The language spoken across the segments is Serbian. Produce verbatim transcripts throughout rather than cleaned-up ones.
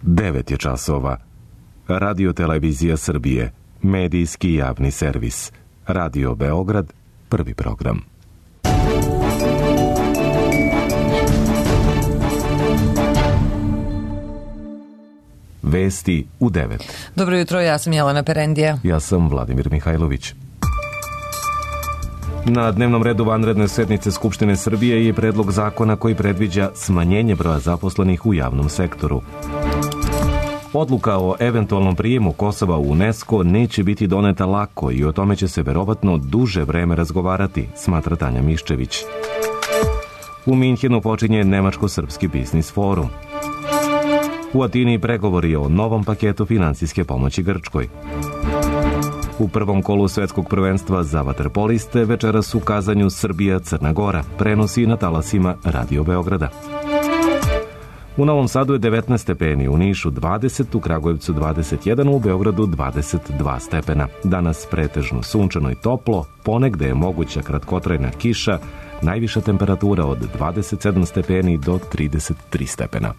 devet je časova. Radio Televizija Srbije, medijski javni servis. Radio Beograd, prvi program. Vesti u devet. Dobro jutro, ja sam Jelena Perendija. Ja sam Vladimir Mihajlović. Na dnevnom redu vanredne sednice Skupštine Srbije je predlog zakona koji predviđa smanjenje broja zaposlenih u javnom sektoru. Odluka o eventualnom prijemu Kosova u UNESCO neće biti doneta lako i o tome će se verovatno duže vreme razgovarati, smatra Tanja Miščević. U Minhenu počinje Nemačko-srpski biznis forum. U Atini pregovori o novom paketu finansijske pomoći Grčkoj. U prvom kolu svetskog prvenstva za vaterpoliste večeras u Kazanju Srbija-Crna Gora, prenosi na talasima Radio Beograda. U Novom Sadu je devetnaest stepeni, u Nišu dvadeset, u Kragujevcu dvadeset jedan, u Beogradu dvadeset dva stepena. Danas pretežno sunčano i toplo, ponegde je moguća kratkotrajna kiša, najviša temperatura od dvadeset sedam stepeni do trideset tri stepena.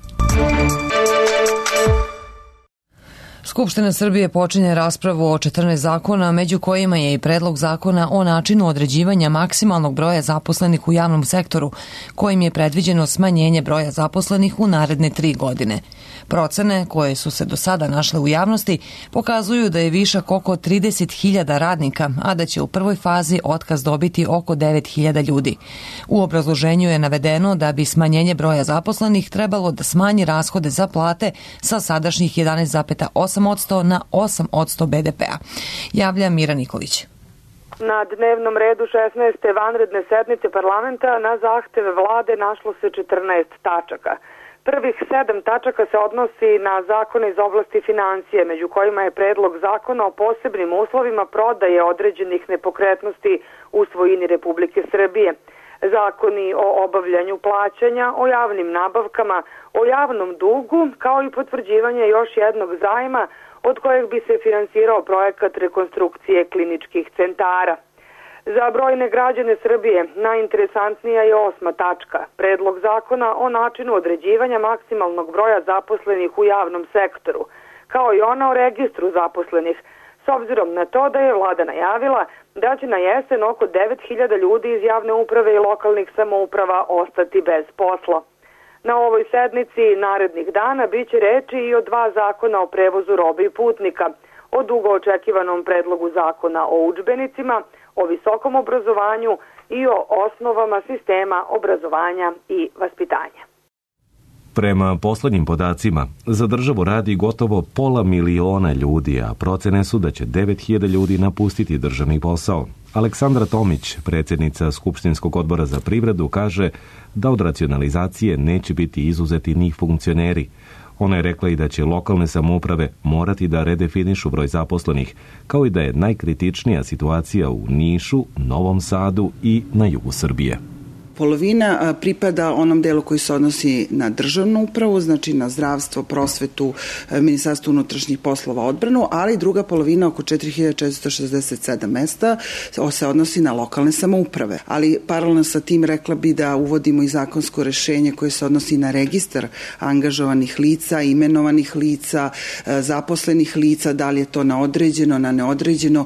Skupština Srbije počinje raspravu o četrnaest zakona, među kojima je i predlog zakona o načinu određivanja maksimalnog broja zaposlenih u javnom sektoru, kojim je predviđeno smanjenje broja zaposlenih u naredne tri godine. Procene, koje su se do sada našle u javnosti, pokazuju da je višak oko trideset hiljada radnika, a da će u prvoj fazi otkaz dobiti oko devet hiljada ljudi. U obrazloženju je navedeno da bi smanjenje broja zaposlenih trebalo da smanji rashode za plate sa sadašnjih jedanaest zarez osam posto na osam posto be de pea. Javlja Mira Nikolić. Na dnevnom redu šesnaeste vanredne sednice parlamenta na zahteve vlade našlo se četrnaest tačaka. Prvih sedam tačaka se odnosi na zakone iz oblasti financije, među kojima je predlog zakona o posebnim uslovima prodaje određenih nepokretnosti u svojini Republike Srbije. Zakoni o obavljanju plaćanja, o javnim nabavkama, o javnom dugu, kao i potvrđivanje još jednog zajma od kojeg bi se finansirao projekat rekonstrukcije kliničkih centara. Za brojne građane Srbije najinteresantnija je osma tačka, predlog zakona o načinu određivanja maksimalnog broja zaposlenih u javnom sektoru, kao i ona o registru zaposlenih, s obzirom na to da je vlada najavila da će na jesen oko devet hiljada ljudi iz javne uprave i lokalnih samouprava ostati bez posla. Na ovoj sednici narednih dana biće reči i o dva zakona o prevozu robe i putnika, o dugo očekivanom predlogu zakona o udžbenicima, o visokom obrazovanju i o osnovama sistema obrazovanja i vaspitanja. Prema poslednjim podacima, za državu radi gotovo pola miliona ljudi, a procene su da će devet hiljada ljudi napustiti državni posao. Aleksandra Tomić, predsjednica Skupštinskog odbora za privredu, kaže da od racionalizacije neće biti izuzeti ni funkcioneri. Ona je rekla i da će lokalne samouprave morati da redefinišu broj zaposlenih, kao i da je najkritičnija situacija u Nišu, Novom Sadu i na jugu Srbije. Polovina pripada onom delu koji se odnosi na državnu upravu, znači na zdravstvo, prosvetu, Ministarstvo unutrašnjih poslova, odbranu, ali druga polovina, oko četiri hiljade četiristo šezdeset sedam mesta, se odnosi na lokalne samouprave. Ali paralelno sa tim rekla bi da uvodimo i zakonsko rešenje koje se odnosi na registar angažovanih lica, imenovanih lica, zaposlenih lica, da li je to na određeno, na neodređeno,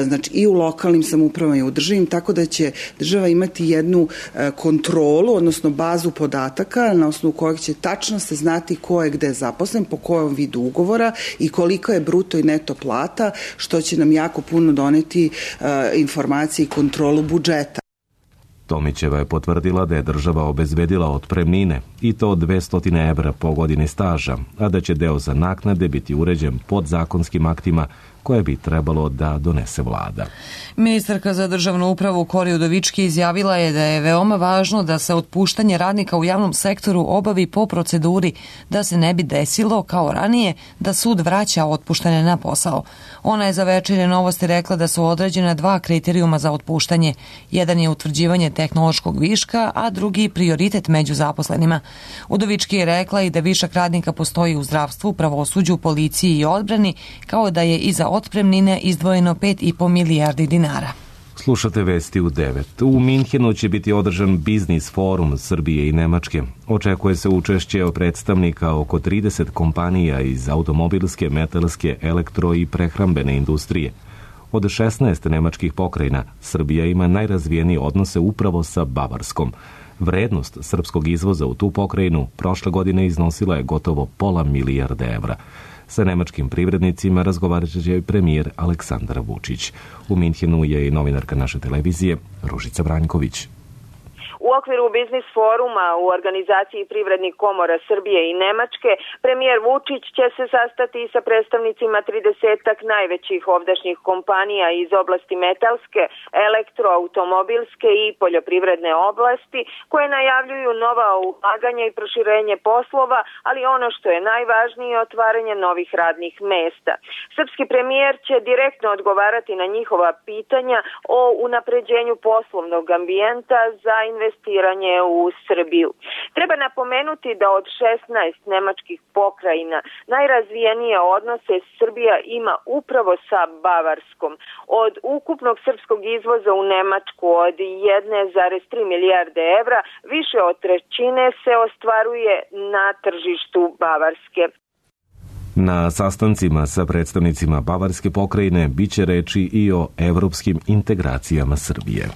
znači i u lokalnim samoupravama i u državnim, tako da će država imati jednu kontrolu, odnosno bazu podataka na osnovu kojeg će tačno se znati ko je gde zaposlen, po kojom vidu ugovora i koliko je bruto i neto plata, što će nam jako puno doneti uh, informacije i kontrolu budžeta. Tomićeva je potvrdila da je država obezbedila otpremnine i to dvesta evra po godini staža, a da će deo za naknade biti uređen podzakonskim aktima koje bi trebalo da donese vlada. Ministarka za državnu upravu Kori Udovički izjavila je da je veoma važno da se otpuštanje radnika u javnom sektoru obavi po proceduri, da se ne bi desilo, kao ranije, da sud vraća otpuštene na posao. Ona je za Večernje novosti rekla da su određena dva kriterijuma za otpuštanje. Jedan je utvrđivanje tehnološkog viška, a drugi prioritet među zaposlenima. Udovički je rekla i da višak radnika postoji u zdravstvu, pravosuđu, policiji i odbrani, kao da je i za otpremnine izdvojeno pet i po milijardi dinara. Slušate vesti u devet. U Minhenu će biti održan biznis forum Srbije i Nemačke. Očekuje se učešće predstavnika oko trideset kompanija iz automobilske, metalske, elektro i prehrambene industrije. Od šesnaest nemačkih pokrajina, Srbija ima najrazvijenije odnose upravo sa Bavarskom. Vrednost srpskog izvoza u tu pokrajinu prošle godine iznosila je gotovo pola milijarde evra. Sa nemačkim privrednicima razgovarat će premijer Aleksandar Vučić. U Minhenu je i novinarka naše televizije Ružica Branjković. U okviru biznis foruma u organizaciji privrednih komora Srbije i Nemačke, premijer Vučić će se sastati sa predstavnicima tridesetak najvećih ovdašnjih kompanija iz oblasti metalske, elektroautomobilske i poljoprivredne oblasti, koje najavljuju nova ulaganja i proširenje poslova, ali ono što je najvažnije, otvaranje novih radnih mesta. Srpski premijer će direktno odgovarati na njihova pitanja o unapređenju poslovnog ambijenta za investiranje investiranje u Srbiju. Treba napomenuti da od šesnaest nemačkih pokrajina najrazvijenije odnose Srbija ima upravo sa Bavarskom. Od ukupnog srpskog izvoza u Nemačku od jedna zarez tri milijarde evra, više od trećine se ostvaruje na tržištu Bavarske. Na sastancima sa predstavnicima Bavarske pokrajine biće reči i o evropskim integracijama Srbije.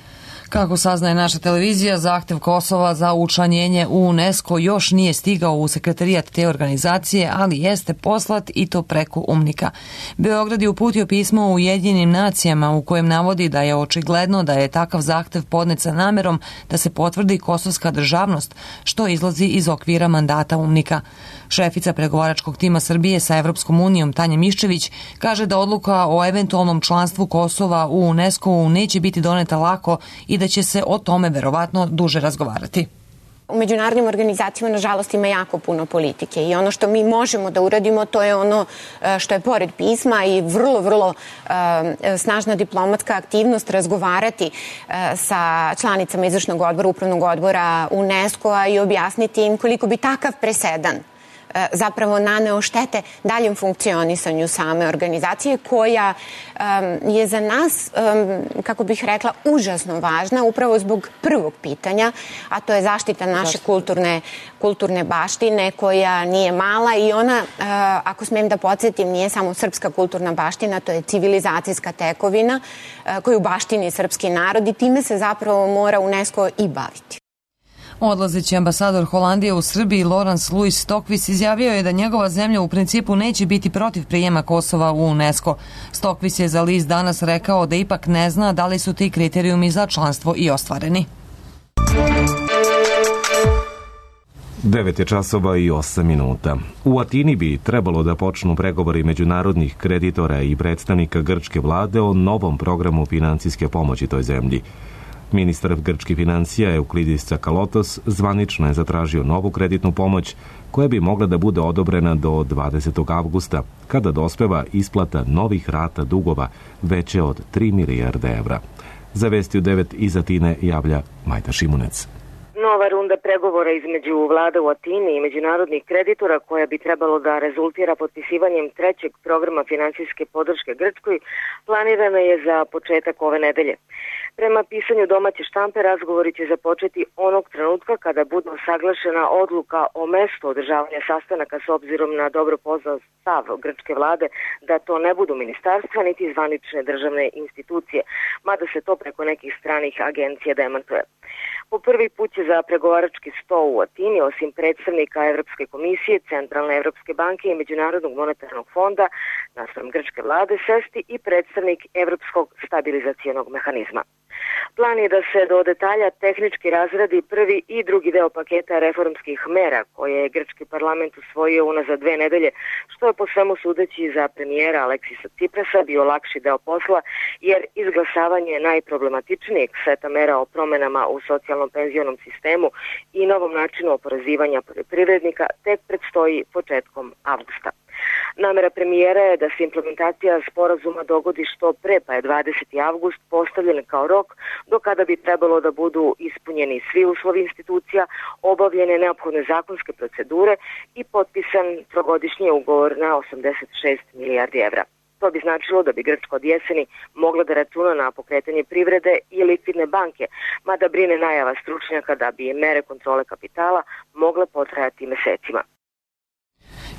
Kako saznaje naša televizija, zahtev Kosova za učlanjenje u UNESCO još nije stigao u sekretarijat te organizacije, ali jeste poslat i to preko UMNIKA. Beograd je uputio pismo Ujedinjenim nacijama u kojem navodi da je očigledno da je takav zahtev podnet sa namerom da se potvrdi kosovska državnost, što izlazi iz okvira mandata UMNIKA. Šefica pregovaračkog tima Srbije sa Evropskom unijom Tanja Miščević kaže da odluka o eventualnom članstvu Kosova u UNESCO neće biti doneta lako i da će se o tome verovatno duže razgovarati. U međunarodnim organizacijama, nažalost, ima jako puno politike i ono što mi možemo da uradimo, to je ono što je pored pisma i vrlo, vrlo snažna diplomatska aktivnost, razgovarati sa članicama izvršnog odbora, upravnog odbora UNESCO-a i objasniti im koliko bi takav presedan zapravo naneo štete daljem funkcionisanju same organizacije, koja je za nas, kako bih rekla, užasno važna upravo zbog prvog pitanja, a to je zaštita naše kulturne, kulturne baštine, koja nije mala i ona, ako smijem da podsjetim, nije samo srpska kulturna baština, to je civilizacijska tekovina koju baštini srpski narod i time se zapravo mora UNESCO i baviti. Odlazeći ambasador Holandije u Srbiji Laurens Louis Stokvis izjavio je da njegova zemlja u principu neće biti protiv prijema Kosova u UNESCO. Stokvis je za list Danas rekao da ipak ne zna da li su ti kriterijumi za članstvo i ostvareni. devet je časova i osam minuta. U Atini bi trebalo da počnu pregovori međunarodnih kreditora i predstavnika grčke vlade o novom programu financijske pomoći toj zemlji. Ministar grčkih financija Euklidis Tsakalotos zvanično je zatražio novu kreditnu pomoć koja bi mogla da bude odobrena do dvadesetog avgusta, kada dospeva isplata novih rata dugova veće od tri milijarde evra. Za vesti u devet iz Atine javlja Majda Šimunec. Nova runda pregovora između vlade u Atini i međunarodnih kreditora, koja bi trebalo da rezultira potpisivanjem trećeg programa finansijske podrške Grčkoj, planirana je za početak ove nedelje. Prema pisanju domaće štampe, razgovori će započeti onog trenutka kada bude usaglašena odluka o mestu održavanja sastanaka, s obzirom na dobro poznat stav grčke vlade da to ne budu ministarstva niti zvanične državne institucije, mada se to preko nekih stranih agencija demantuje. Po prvi put će za pregovarački sto u Atini, osim predstavnika Evropske komisije, Centralne Evropske banke i Međunarodnog monetarnog fonda, naspram grčke vlade, sesti i predstavnik Evropskog stabilizacionog mehanizma. Plan je da se do detalja tehnički razradi prvi i drugi deo paketa reformskih mera koje je grčki parlament usvojio unazad dve nedelje, što je po svemu sudeći za premijera Aleksisa Ciprasa bio lakši deo posla, jer izglasavanje najproblematičnijeg seta mera o promenama u socijalnom penzionom sistemu i novom načinu oporezivanja poljoprivrednika tek predstoji početkom avgusta. Namera premijera je da se implementacija sporazuma dogodi što pre, pa je dvadeseti avgust postavljen kao rok do kada bi trebalo da budu ispunjeni svi uslovi institucija, obavljene neophodne zakonske procedure i potpisan trogodišnji ugovor na osamdeset šest milijardi evra. To bi značilo da bi Grčka od jeseni mogla da računa na pokretanje privrede i likvidne banke, mada brine najava stručnjaka da bi mere kontrole kapitala mogle potrajati mesecima.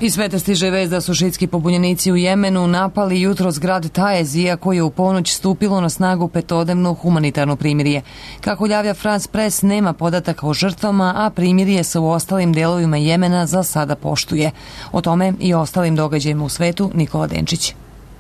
Iz sveta stiže vest da su šiitski pobunjenici u Jemenu napali jutros grad Taezija koji je u ponoć stupilo na snagu petodnevno humanitarno primirje. Kako javlja France Press, nema podataka o žrtvama, a primirje se u ostalim delovima Jemena za sada poštuje. O tome i ostalim događajima u svetu Nikola Denčić.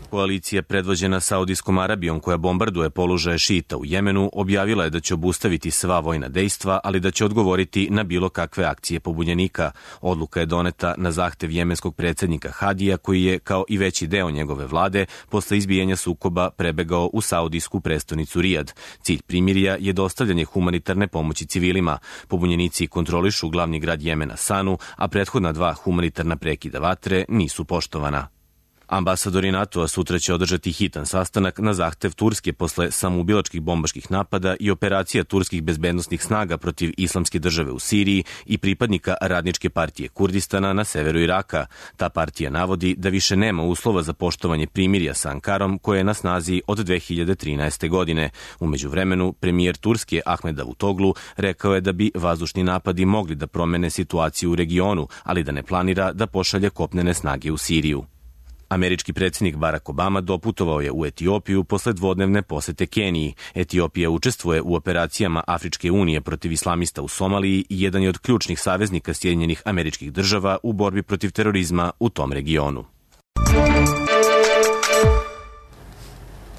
Koalicija predvođena Saudijskom Arabijom koja bombarduje položaje šita u Jemenu objavila je da će obustaviti sva vojna dejstva, ali da će odgovoriti na bilo kakve akcije pobunjenika. Odluka je doneta na zahtev jemenskog predsjednika Hadija koji je, kao i veći deo njegove vlade, posle izbijanja sukoba prebegao u saudijsku prestonicu Rijad. Cilj primirja je dostavljanje humanitarne pomoći civilima. Pobunjenici kontrolišu glavni grad Jemena Sanu, a prethodna dva humanitarna prekida vatre nisu poštovana. Ambasadori NATO-a sutra će održati hitan sastanak na zahtev Turske posle samoubilačkih bombaških napada i operacija turskih bezbednostnih snaga protiv Islamske države u Siriji i pripadnika Radničke partije Kurdistana na severu Iraka. Ta partija navodi da više nema uslova za poštovanje primirja sa Ankarom koje je na snazi od dve hiljade trinaeste. godine. U međuvremenu, premijer Turske Ahmed Davutoglu rekao je da bi vazdušni napadi mogli da promene situaciju u regionu, ali da ne planira da pošalje kopnene snage u Siriju. Američki predsjednik Barack Obama doputovao je u Etiopiju posle dvodnevne posete Keniji. Etiopija učestvuje u operacijama Afričke unije protiv islamista u Somaliji i jedan je od ključnih saveznika Sjedinjenih Američkih Država u borbi protiv terorizma u tom regionu.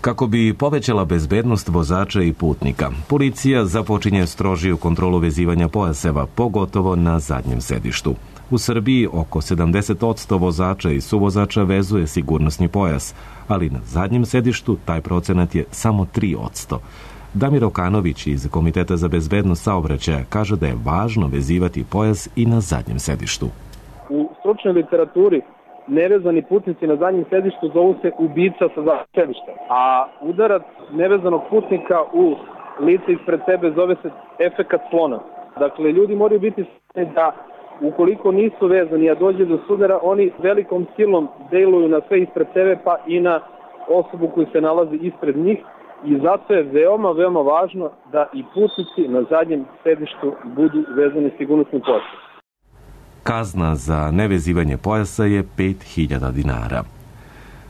Kako bi povećala bezbednost vozača i putnika, policija započinje strožiju kontrolu vezivanja pojaseva, pogotovo na zadnjem sedištu. U Srbiji oko sedamdeset posto vozača i suvozača vezuje sigurnosni pojas, ali na zadnjem sedištu taj procenat je samo tri posto. Damir Okanović iz Komiteta za bezbednost saobraćaja kaže da je važno vezivati pojas i na zadnjem sedištu. U stručnoj literaturi nevezani putnici na zadnjem sedištu zovu se ubica sa zadnjeg sedišta, a udarac nevezanog putnika u lice ispred sebe zove se efekat slona. Dakle, ljudi moraju biti svjesni da ukoliko nisu vezani, a dođe do sudara, oni velikom silom deluju na sve ispred sebe, pa i na osobu koja se nalazi ispred njih, i zato je veoma, veoma važno da i putnici na zadnjem sedištu budu vezani sigurnosnim pojasom. Kazna za nevezivanje pojasa je pet hiljada dinara.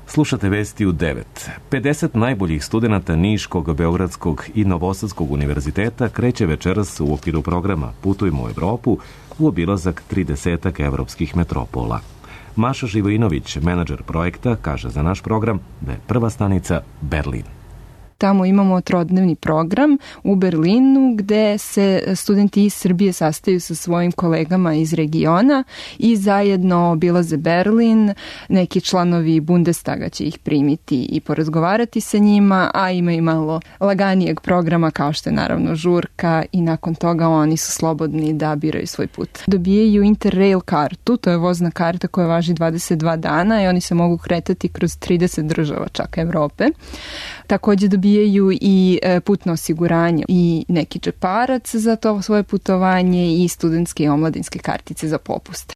Slušate vesti u devet. pedeset najboljih studenata Niškog, Beogradskog i Novosadskog univerziteta kreće večeras u okviru programa Putujmo u Evropu u obilazak tridesetak evropskih metropola. Maša Živojinović, menadžer projekta, kaže za naš program da je prva stanica Berlin. Tamo imamo trodnevni program u Berlinu gde se studenti iz Srbije sastaju sa svojim kolegama iz regiona i zajedno obilaze Berlin. Neki članovi Bundestaga će ih primiti i porazgovarati sa njima, a ima i malo laganijeg programa kao što je naravno žurka i nakon toga oni su slobodni da biraju svoj put. Dobijaju Interrail kartu, to je vozna karta koja važi dvadeset dva dana i oni se mogu kretati kroz trideset država čak Evrope. Takođe dobijaju i putno osiguranje i neki džeparac za to svoje putovanje i studentske i omladinske kartice za popuste.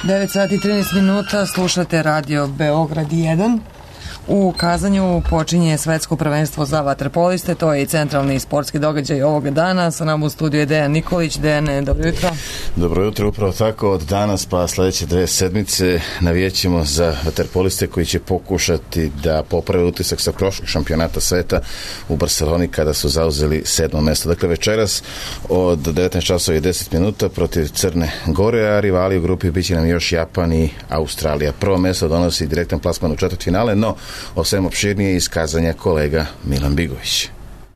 devet sati i trinaest minuta, slušate Radio Beograd jedan. U Kazanju počinje svetsko prvenstvo za vaterpoliste, to je i centralni sportski događaj ovoga dana. Sa nama u studiju je Dejan Nikolić. Dejane, dobro jutro. Dobro jutro, upravo tako od danas pa sledeće dve sedmice navijećemo za vaterpoliste koji će pokušati da poprave utisak sa prošlog šampionata sveta u Barceloni kada su zauzeli sedmo mesto. Dakle, večeras od devetnaest časova i deset minuta protiv Crne Gore, a rivali u grupi biće nam još Japan i Australija. Prvo mesto donosi direktan plasman u četvrtfinale, no o svem opširnije iskazanja kolega Milan Bigović.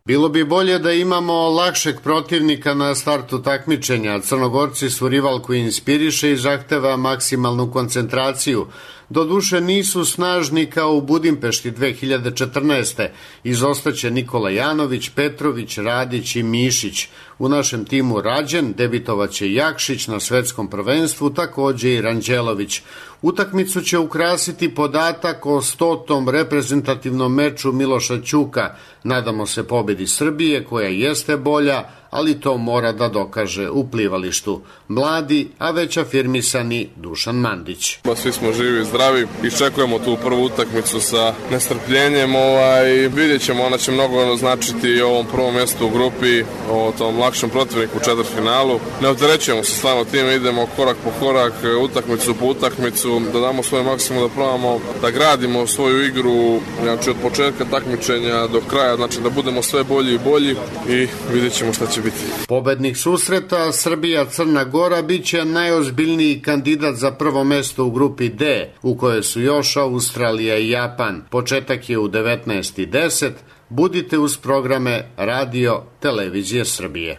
Bilo bi bolje da imamo lakšeg protivnika na startu takmičenja. Crnogorci su rival koji inspiriše i zahteva maksimalnu koncentraciju. Doduše nisu snažni kao u Budimpešti dve hiljade četrnaeste. Izostaće Nikola Janović, Petrović, Radić i Mišić. U našem timu Rađen debitovaće Jakšić na svetskom prvenstvu, takođe i Ranđelović. Utakmicu će ukrasiti podatak o stotom reprezentativnom meču Miloša Ćuka. Nadamo se pobedi Srbije koja jeste bolja, ali to mora da dokaže u plivalištu. Mladi, a već afirmisani Dušan Mandić. Svi smo živi i zdravi, iščekujemo tu prvu utakmicu sa nestrpljenjem. Ovaj, vidjet ćemo, ona će mnogo značiti ovom prvom mjestu u grupi, o tom lakšem protivniku u četvrtfinalu. Ne opterećujemo se stvarno time, idemo korak po korak, utakmicu po utakmicu, da damo svoj maksimum, da probamo da gradimo svoju igru, znači od početka takmičenja do kraja, znači da budemo sve bolji i bolji i vidjet ćemo šta će biti. Pobednik susreta Srbija-Crna Gora biće najozbiljniji kandidat za prvo mesto u grupi D, u kojoj su još Australija i Japan. Početak je u devetnaest i deset. Budite uz programe Radio Televizije Srbije.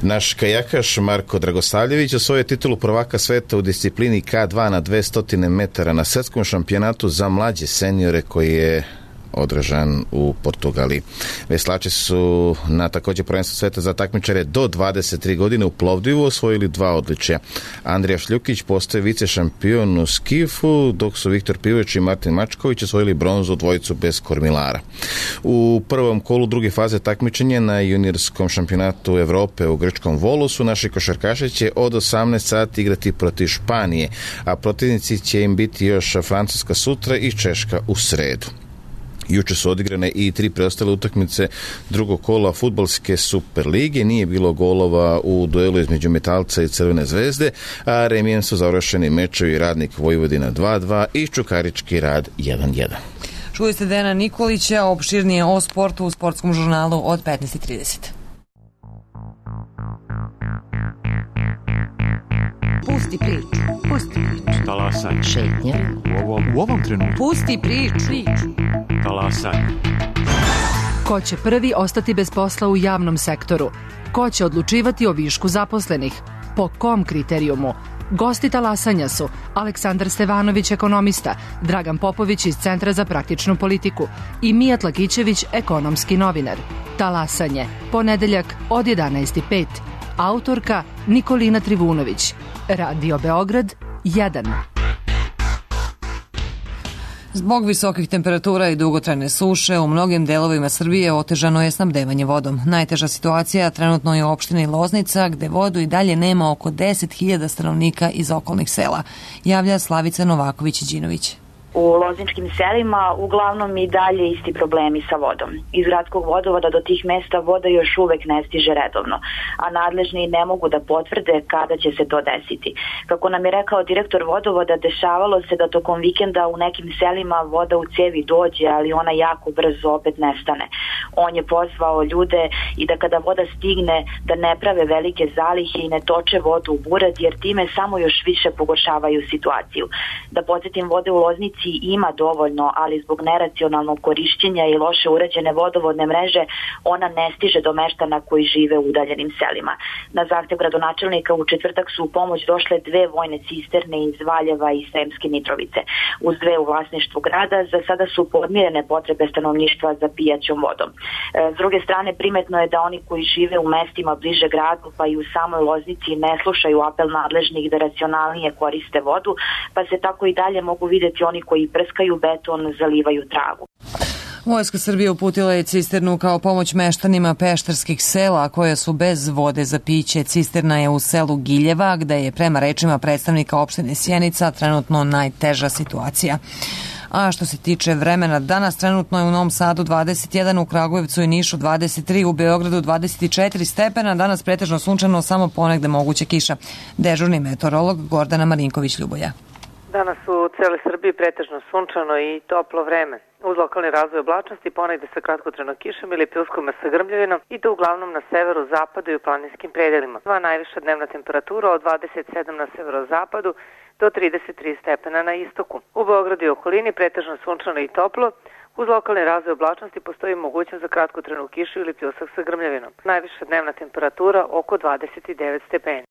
Naš kajakaš Marko Dragosavljević osvojio titulu prvaka sveta u disciplini K dva na dvesta metara na svetskom šampionatu za mlađe seniore koji je održan u Portugaliji. Veslači su na također prvenstvu sveta za takmičare do dvadeset tri godine u Plovdivu osvojili dva odličja. Andrija Šljukić postaje vice šampion u skifu, dok su Viktor Pivović i Martin Mačković osvojili bronzu dvojicu bez kormilara. U prvom kolu druge faze takmičenja na juniorskom šampionatu Evrope u grčkom Volosu naši košarkaši će od osamnaest sati igrati protiv Španije, a protivnici će im biti još Francuska sutra i Češka u sredu. Juče su odigrane i tri preostale utakmice drugog kola fudbalske Super lige. Nije bilo golova u duelu između Metalca i Crvene zvezde, a remijem su završeni mečevi Radnik Vojvodina dva dva i Čukarički Rad jedan jedan. Čuli ste Dejana Nikolića, opširnije o sportu u sportskom žurnalu od petnaest i trideset. Pusti priču, pusti priču. Talasaj. Šetnja. U ovom, u ovom trenutku. Pusti priču. priču. Talasaj. Ko će prvi ostati bez posla u javnom sektoru? Ko će odlučivati o višku zaposlenih? Po kom kriterijumu? Gosti talasanja su Aleksandar Stevanović, ekonomista, Dragan Popović iz Centra za praktičnu politiku i Mijat Lakićević, ekonomski novinar. Talasanje, ponedeljak od jedanaest i pet. Autorka Nikolina Trivunović. Radio Beograd jedan. Zbog visokih temperatura i dugotrajne suše u mnogim delovima Srbije otežano je snabdevanje vodom. Najteža situacija trenutno je u opštini Loznica, gde vodu i dalje nema oko deset hiljada stanovnika iz okolnih sela, javlja Slavica Novaković-Đinović. U lozničkim selima uglavnom i dalje isti problemi sa vodom. Iz gradskog vodovoda do tih mesta voda još uvek ne stiže redovno, a nadležni ne mogu da potvrde kada će se to desiti. Kako nam je rekao direktor vodovoda, dešavalo se da tokom vikenda u nekim selima voda u cevi dođe, ali ona jako brzo opet nestane. On je pozvao ljude i da kada voda stigne da ne prave velike zalihe i ne toče vodu u buraz, jer time samo još više pogoršavaju situaciju. Da podsjetim, vode u Loznici ima dovoljno, ali zbog neracionalnog korišćenja i loše urađene vodovodne mreže ona ne stiže do meštana koji žive u udaljenim selima. Na zahtev gradonačelnika u četvrtak su u pomoć došle dve vojne cisterne iz Valjeva i Sremske Mitrovice. Uz dve u vlasništvu grada za sada su podmirene potrebe stanovništva za pijaćom vodom. S druge strane, primetno je da oni koji žive u mestima bliže gradu pa i u samoj Loznici ne slušaju apel nadležnih da racionalnije koriste vodu, pa se tako i dalje mogu videti oni koji prskaju beton, zalivaju travu. Vojska Srbije uputila je cisternu kao pomoć meštanima pešterskih sela koje su bez vode za piće. Cisterna je u selu Giljeva, gde je prema rečima predstavnika opštine Sjenica trenutno najteža situacija. A što se tiče vremena, danas trenutno je u Novom Sadu dvadeset jedan, u Kragujevcu i Nišu dvadeset tri, u Beogradu dvadeset četiri stepena, danas pretežno sunčano, samo ponegde moguća kiša. Dežurni meteorolog Gordana Marinković-Ljuboja. Danas u celoj Srbiji pretežno sunčano i toplo vreme. Uz lokalni razvoj oblačnosti ponegde sa kratkotrajnom kišom ili pljuskom sa grmljavinom i to uglavnom na severu, zapadu i u planinskim predelima. Dva najviša dnevna temperatura od dvadeset sedam na severozapadu do trideset tri stepena na istoku. U Beogradu i okolini pretežno sunčano i toplo. Uz lokalni razvoj oblačnosti postoji mogućnost za kratkotrajnu kišu ili pljusak sa grmljavinom. Najviša dnevna temperatura oko dvadeset devet stepeni.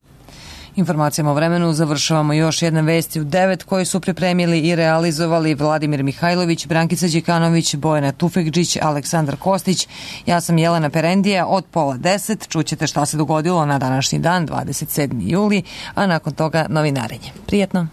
Informacijama o vremenu završavamo još jedne vesti u devet koje su pripremili i realizovali Vladimir Mihajlović, Brankica Đikanović, Bojana Tufekđić, Aleksandar Kostić. Ja sam Jelena Perendija. Od pola deset čućete šta se dogodilo na današnji dan, dvadeset sedmi juli, a nakon toga novinarenje. Prijetno!